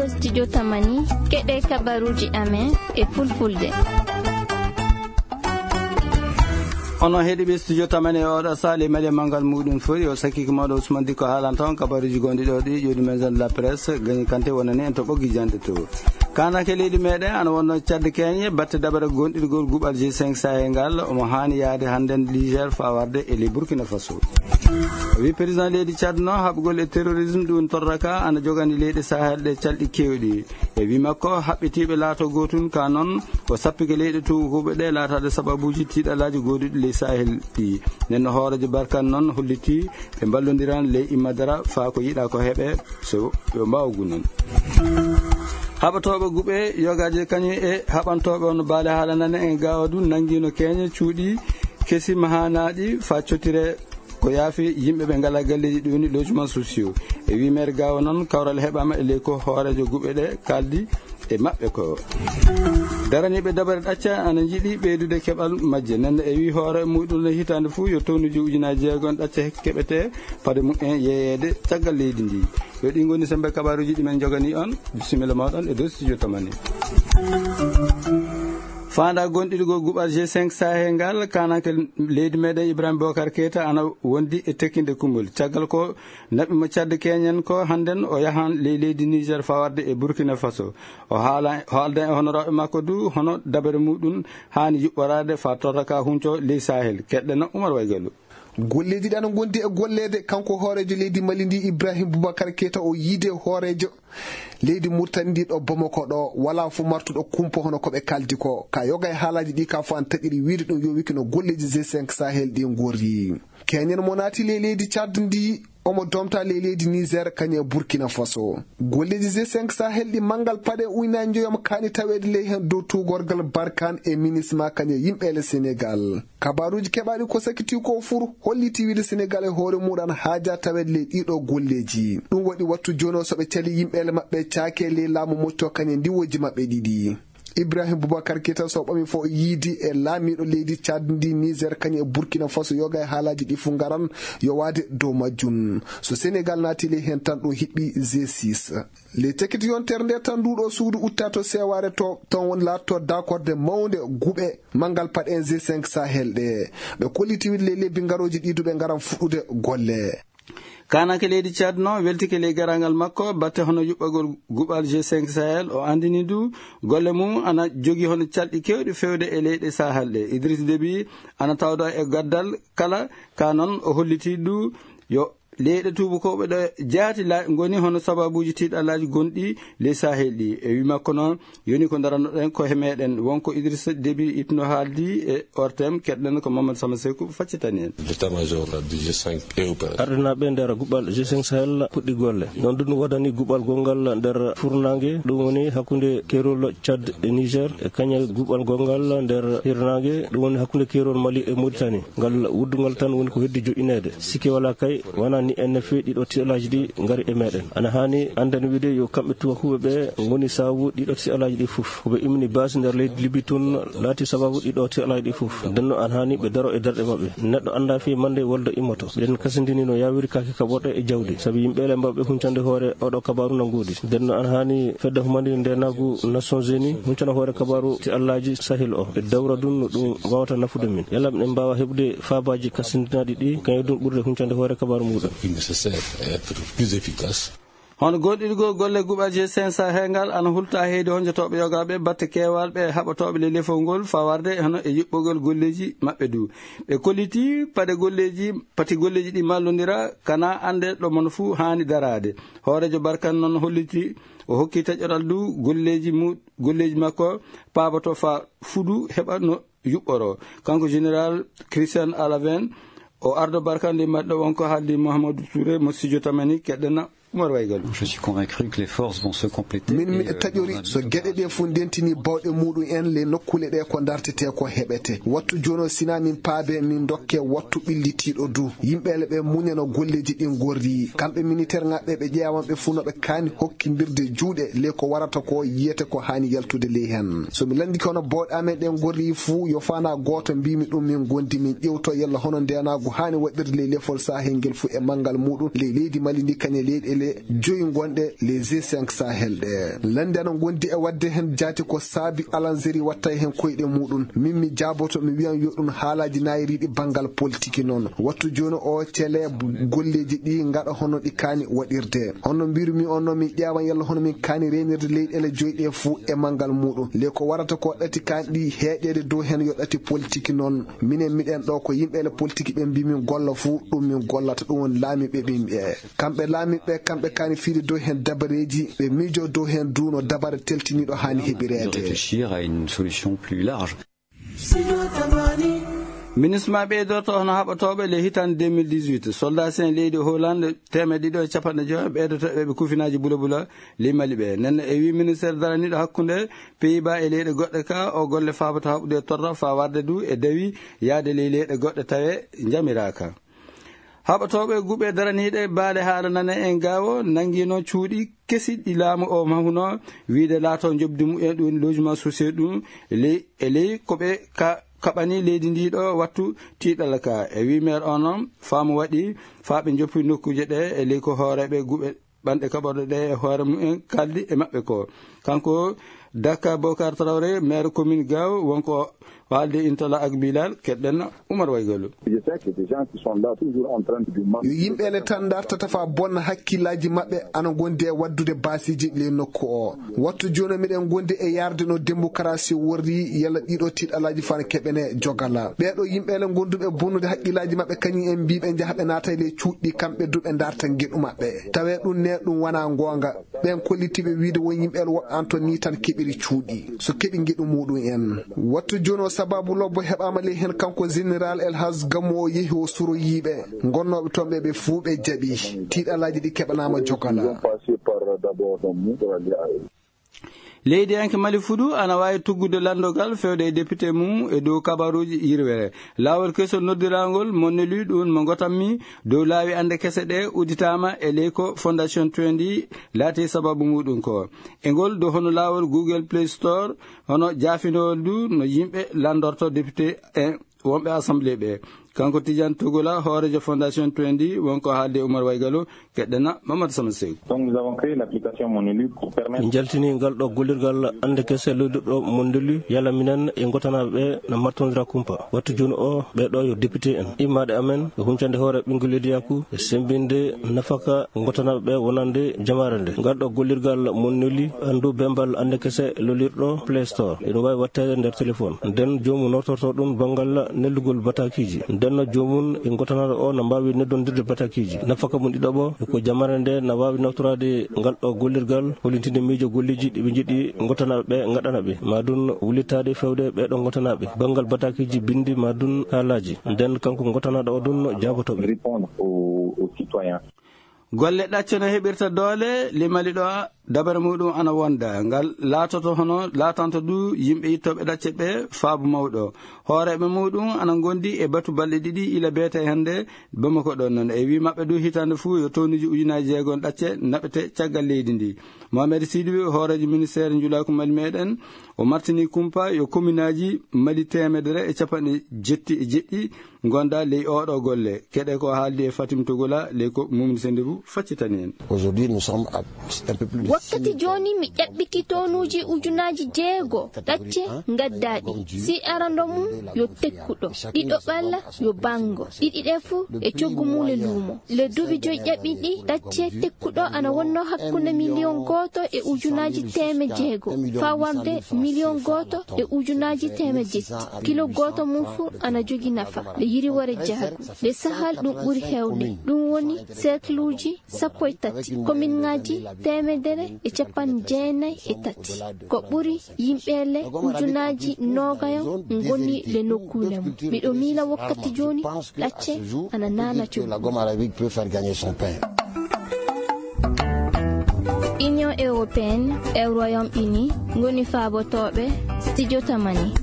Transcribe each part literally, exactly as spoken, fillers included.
Studio Tamani, keɗe kabaruji amen e fulfulde. Onon heɗiɓe Studio Tamani e oɗo sali mali mangal muɗum fori o sakki ko mawɗo Ousmane Dikko haalanta on kabaruji gonɗi ɗo ɗi joni maison de la presse gagné kante wonani en to ɓoggi jande to. Kanake leydi meɗen ana wonno cadde keñe batte dabare gonɗirgol guɓal G cinq Sahel ngal omo hani yaade hannden Niger fa warde e ley Burkina Faso. O wi président leydi Tchad no haɓugol e terrorisme ɗum torraka ana jogani leyɗe Sahel ɗe calɗi kewɗi. E wi makko haɓɓitiiɓe laato gootun ka noon o sappike leyɗe tuukuɓe ɗe laataade sababuuji tiiɗalaaji gooduɗi ley Sahel ɗi. Nden no hooreejo Barkan noon holliti ɓe mballondiran ley immadara faa ko yiɗa ko heɓe so ɓe mbaawa gunan. Haɓatooɓe guɓe yogaaji kañum e haɓantooɓe on baale haalanane en gaawa du nanngino keeñe cuuɗi kesi mahanaaɗi faa cottire ko yaafi yimɓe ɓe ngalaa galleeji ɗi woni logement sociaux. E wii maire gaawa noon kawral heɓaama e ley ko hooreejo guɓe ɗe kaaldi e maɓɓe ko daraniiɓe dabare ɗacca ana njiɗi ɓeydude keɓal majje. Nden e wii hoore muɗum no hitaande fuu yo townuji ujunaaji jeego en ɗacca keɓete fade mumen yeeyeede caggal leydi ndi. Yo ɗi ngoni sembe kabaruji ɗi men jogani on. Bisimilla mawɗon e dow studio Tamani. Faanda gonɗiɗo gol guɓal G cinq Sahel ngal kanake leydi meɗen Ibrahima Bokar Keita ana wondi e tekkinde kumol caggal ko naɓi mo cadde keñen ko hannden o yahan ley leydi Niger fawarde e Burkina Faso. O haala haalda e honoraaɓe makko du hono dabere muɗum haani yuɓɓoraade fa torraka hunco ley Sahel. Keɗɗena Umar Waygalu. Golleeji ɗi ana ngondi e golleede kanko hooreejo leydi Mali ndi Ibrahim Boubacar Keita o yiide hooreejo leydi Murtani ndi ɗo Bamako ɗo wala fu martuɗo kumpo hono ko ɓe kaldi ko ka yoga e haalaaji ɗi ka fu an taƴiri wiide ɗum yo wiki no golleeji G cinq Sahel ɗi ngorri. Keñen mo naati ley leydi Tchad ndi omo domta ley leydi Niger kañe Burkina Faso. Golleeji G cinq Sahel ɗi mangal paɗe uyna njoyam kaani taweede ley heen dow tuugorgal Barkan e minisma kañe yimɓeele Senegal. Kabaaruuji keɓaaɗi ko sakiti ko fur holliti wiide Senegal e hoore muɗan haaja taweede ley ɗiɗo golleeji. Ɗum waɗi wattu jono so ɓe cali yimɓeele maɓɓe caake ley laamu mocco kañe ndiwoji maɓɓe ɗiɗi. Ibrahim Boubacar Keita so ɓami fof yiidi e laamiiɗo leydi Tchad ndi Niger kañum e Burkina Faso yoga e haalaaji ɗi fuu ngaran yowaade dow majjum. So Senegal naati ley heen tan ɗum hiɓɓi G six. Ley cekiti yontere nde tan nduɗo suudu utta to sewaare to ton woni laatto dakorde mawnde guɓe manngal paɗen G cinq Sahel ɗe. Ɓe kolliti wiide ley lebbi ngarooji ɗi duɓe ngaran fuɗɗude golle. Kanake leydi Tchad no weltike ley garangal makko batte hono yuɓɓagol guɓal G cinq Sahel o andini du golle mum ana jogi hono calɗi kewɗi fewde e leyɗe Sahel ɗe. Idriss Déby ana tawda e gaddal kala ka noon o holliti du yo leyɗe tuubakooɓe ɗo jaati la ngoni hono sababuuji tiiɗalaaji gonɗi ley Sahel ɗi. E wi makko noon yoni ko darannoɗen ko he meɗen wonko Idriss Déby itno haaldi e ortem keɗɗen ko Mamadou Sama Seku faccitani en. L'état-major du G cinq est opérationnel. Ardinaaɓe nder guɓal G cinq Sahel puɗɗi golle. Noon ɗum woodani guɓal gongal nder furnaange, ɗum woni hakkunde keerol Tchad e Niger, e kañal guɓal gongal nder hirnaange, ɗum woni hakkunde keerol Mali e Mauritanie. Ngal wuddungal tan woni ko heddi joƴƴineede. Sikke walaa kay, wonaa ni en feewi ɗiɗo tiɗalaaji ɗi ngari e meɗen. Ana haani annden wiide yo kamɓe tubakuɓe ɓe ngoni sababu ɗiɗo tiɗalaaji ɗi fof. Ko ɓe immini base nder leydi Libi tun laati sababu ɗiɗo tiɗalaaji ɗi fof. Nden no ana haani ɓe daro e darɗe maɓɓe. Neɗɗo anndaa fii mande wolde immoto. Ɓen kasindini no yaawiri kaake kaɓorɗe e jawdi. Sabi yimɓeele mbawɓe huncande hoore oɗo kabaaru no ngoodi. Nden no ana haani fedde humande ndeenaagu Nations Unies huncana hoore kabaaru tiɗalaaji Sahel o. Ɓe dawra ɗum no ɗum waawata nafude min. Yalla miɗen mbaawa heɓude faabaaji kasindinaaɗi ɗi, kañum ɗum ɓurde huncande hoore kabaaru muɗum. Plus nécessaire et être plus efficace. Hono goɗɗirgol golle guɓal G cinq Sahel ngal ana hulta heyde honjotooɓe yogaaɓe batte keewal ɓe haɓatooɓe le lefol ngol fawarde hono e yuɓɓogol golleeji maɓɓe du. Ɓe kolliti paɗe golleeji, pati golleeji ɗi mallondira kana annde ɗo mon fuu haani daraade. Hooreejo Barkan noon holliti o hokki taƴoral du golleeji mu-, golleeji makko paaboto fa fudu heɓa no yuɓɓoro. Kanko Général Christian Alaven, o ardo Barkan ndi maɗɗo wonko haaldi Mouhamadou Touré mo Sidio Tamani, keɗɗena Umar Waygal. Je suis convaincu que les forces vont se compléter. Min mi taƴori so geɗe ɗe fof ndentini bawɗe muɗum en le nokkule ɗe ko dartete ko heɓete. Wattu jono sina min paabe min dokke wattu ɓillitiiɗo du. Yimɓeele ɓe muñano golleeji ɗin gorri. Kamɓe militaire ŋaɓɓe ɓe ƴeewan ɓe fuu no ɓe kaani hokkindirde juuɗe le ko warata ko yiyete ko haani yaltude ley hen. So mi lanndike hono bawɗe amen ɗen gorri fuu yo faana gooto mbimi ɗum min gondi min ƴewto yalla hono ndenaagu haani waɗirde ley lefol Sahel ngel fuu e manngal muɗum ley leydi Mali ndi kañe leyɗe ɗe joyi gonɗe les G cinq Sahel ɗe. Lannde ana ngondi e waɗde heen jaati ko saabi Alanzeri watta heen koyɗe muɗum. Min mi jaaboto, mi wiyan yo ɗum haalaaji naayiriiɗi banngal politiki noon. Wattu jooni o cele golleeji ɗi ngaɗa hono ɗi kaani waɗirde. Hono mbirumi on noon, min ƴeewan yalla hono min kaani reenirde leyɗeele joyi ɗe fuu e manngal muɗum. Le ko warata ko ɗati kaani ɗi heeƴeede dow heen yo ɗati politiki noon. Minen miɗen ɗo ko yimɓeele politiki ɓe mbi min golla fuu, ɗum min gollata, ɗum woni laamiiɓe ɓe mbiye. Kamɓe laamiiɓe, kamɓe kaani fiide dow heen dabareeji, ɓe miijo dow heen duuno dabare teltiniiɗo haani heɓireede. De réfléchir à une solution plus large. Minisma ɓeydoto hono haɓotooɓe le hitande deux mille dix-huit. Soldat sen leydi Hollande teemeɗe ɗiɗo e capanɗe joy ɓeydoto ɓe kufinaaji bula bula limali ɓe. Nen e wi ministère daraniiɗo hakkunde Pays-Bas e leyɗe goɗɗe ka, o golle faabata haɓude torra faa warde du e dawi yaade ley leyɗe goɗɗe tawe njamiraaka. Haɓotooɓe guɓe daraniiɗe baale haala nane en gaawo nanngiino cuuɗi kesi ɗi laamu o mahuno, wiide laato njoɓdi mumen ɗum logement social ɗum e ley, e ley ko ɓe ka-, kaɓani leydi ndi ɗo wattu tiiɗalla ka. E wi maire o noon, faamu waɗi faa ɓe njoppi nokkuuje ɗe e ley ko hooreeɓe guɓe ɓanɗe kaɓorɗe ɗe e hoore mumen kaldi e maɓɓe ko. Kanko Dakar Bokar Traoré, maire commune Gao, wonko haalde Intala ak Bilal, keɗɗen Oumar Waygalu. Je sais que des gens qui sont là toujours en train de du mal. Yo yimɓe ne tan dartata faa bonna hakkillaaji maɓɓe ana ngondi e waddude baasiiji le nokku o. Wattu jooni miɗen ngondi e yarde no démocratie worri, yalla ɗiɗo tiiɗalaaji fana keɓene jogala. Ɓeeɗo yimɓe le ngonduɓe bonnude hakkillaaji maɓɓe kañum en mbiɓe njaha ɓe naata le cuuɗi kamɓe du ɓe darta ngeɗu maɓɓe. Tawe ɗum ne ɗum wana ngoonga. Ɓen kollitiiɓe wiide won yimɓe woɓɓe an to ni tan keɓiri cuuɗi. So keɓi ngeɗu muɗum en. Wattu jooni o sababu lobbo heɓaama ley heen kanko Général El Hadj Gammo o yehi o suroyiiɓe. Ngonnooɓe toon ɓe ɓe fuu ɓe jaɓi. Tiiɗalaaji ɗi keɓanaama jogala. Ils ont passé par d'abord donc nous pour aller à eux. Leydiyanke Mali Fudu ana waawi tuggude lanndogal fewde e député mum e dow kabaruuji yirwere. Laawol keso noddirangol Monelu ɗum mo ngotammi dow laawi annde kese ɗe udditaama e ley ko Fondation Trendi laati sababu muɗum ko. E ngol dow hono laawol Google Play Store, hono jaafinowol du no yimɓe lanndorto député en wonɓe assemblée ɓe. Kanko Tidiane Togola, hooreejo Fondation Trendi, wonko haalde Oumar Waygalo, keɗɗena Mamadou Sama Sew. Donc, nous avons créé l'application Monelu pour permettre. Min jaltini ngal ɗo gollirgal annde kese lollirɗo Monelu, yalla minen e ngotanaaɓe ɓe no martondira kumpa. Wattu jooni o, ɓee ɗo yo député en. Immaaɗe amen, e huncande hoore ɓinngol leydi yaku, e semmbinde nafaka ngotanaaɓe ɓe wonande jamaare nde. Ngal ɗo gollirgal Monelu, anndu bembal annde kese lollirɗo Play Store. Ina waawi watteede nder téléphone. Nden joomum noftorto ɗum banngal nellugol batakiiji. Nden no joomum e ngotanaaɗo o na mbaawi neddondirde batakiiji. Nafaka mum ɗiɗaɓo e ko jamaare nde na waawi naftoraade ngal ɗo gollirgal, hollitinde miijo golleeji ɗi ɓe njiɗi ngotanaaɓe ɓe ngaɗana ɓe. Ma ɗum wullitaade fewde ɓee ɗo ngotanaaɓe. Banngal batakiiji binndi ma ɗum haalaaji. Nden kanko ngotanaaɗo o ɗum jaaboto ɓe. Répondre aux, aux citoyens. Golle ɗacce no heɓirta doole, limali ɗo dabare muɗum ana wonda. Ngal laatoto hono laatanto du yimɓe ittooɓe ɗacce ɓe faabu mawɗo. Hooreeɓe muɗum ana ngondi e batu balɗe ɗiɗi ila beete hannde Bamako ɗon noon. E wi maɓɓe du hitaande fuu yo townuuji ujunaaji jeegom ɗacce naɓete caggal leydi ndi. Mohamed Sidibé, hooreejo ministeer njulaaku Mali meɗen, o martini kumpa yo kominaaji Mali teemedere e capanɗe jetti e jeɗɗi ngonda ley oɗo golle. Keɗe ko haaldi e Fatim Togola, ley ko Mumni Sendibu faccitani en. Aujourd'hui, nous sommes à un peu plus de wakkati jooni mi ƴaɓɓiki tonuuji ujunaaji jeego ɗacce ngaddaaɗi. Si arando mum yo tekkuɗo, ɗiɗo ɓalla yo bango, ɗiɗi ɗe fuu e coggu mum e luumo. Le duuɓi joyi ƴaɓɓiɗi ɗacce tekkuɗo ana wonno hakkunde miliyon gooto e ujunaaji teeme jeego faa warde miliyon gooto e ujunaaji teeme jetti. Kilo gooto mum fuu ana jogi nafa. Le yiriwore jaagu. Le sahal ɗum ɓuri heewde. Ɗum woni cercleuji sappo e tati. Kominŋaaji teemedere e capanɗe jeenayi e tati. Ko ɓuri yimɓe le ujunaaji noogayo ngoni le nokkuule mum. Miɗo miila wakkati jooni ɗacce ana naana coggu. Union Européenne e Royaume Uni ngoni faabotooɓe Studio Tamani.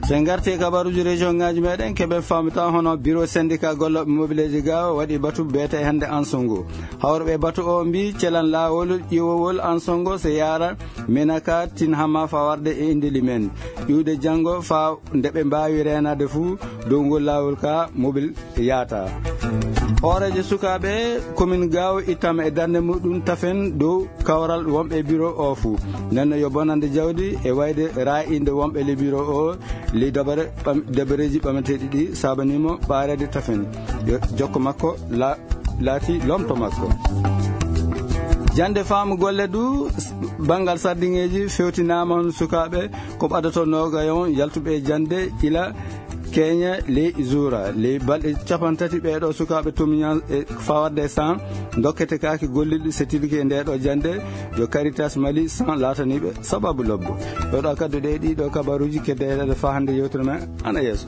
So en ngarti e kabaruuji région ŋaaji meɗen, keɓe famta hono bureau syndicat gollooɓe mobileeji ga o waɗi batu beete hannde Ansongo. Hawruɓe batu o mbi celan laawol ƴiwowol Ansongo so yaara Menaka tin hama fa warde e indeli men. Ƴuwde janngo fa nde ɓe mbaawi reenaade fuu dow ngol laawol ka mobil yaata. Hooreejo sukaaɓe commune Gaawo ittama e darnde muɗum tafen dow kawral wonɓe e bureau o fuu. Nden no yo bonande jawdi e wayde raa'inde wonɓe le bureau o, ley dabare ɓam-, dabareeji ɓamateeɗi ɗi saabaniimo ɓaareede tafen. Yo jokko makko la-, laati lomto makko. Jannde faamu golle du, s-, banngal sardiŋeeji fewtinaama on sukaaɓe ko ɓadato noogayo on yaltuɓe e jannde ila keenya ley zuura. Ley balɗe capantati ɓeeɗo sukaaɓe tumiña e fawarde san dokkete kaaki gollirɗi setidiki e ndeeɗo jannde. Yo Caritas Mali san laataniiɓe sababu lobbo. Ɗo ɗo kaddu ɗe ɗiɗo kabaruuji keddeeɗe faa hannde yewtere men ana yeeso.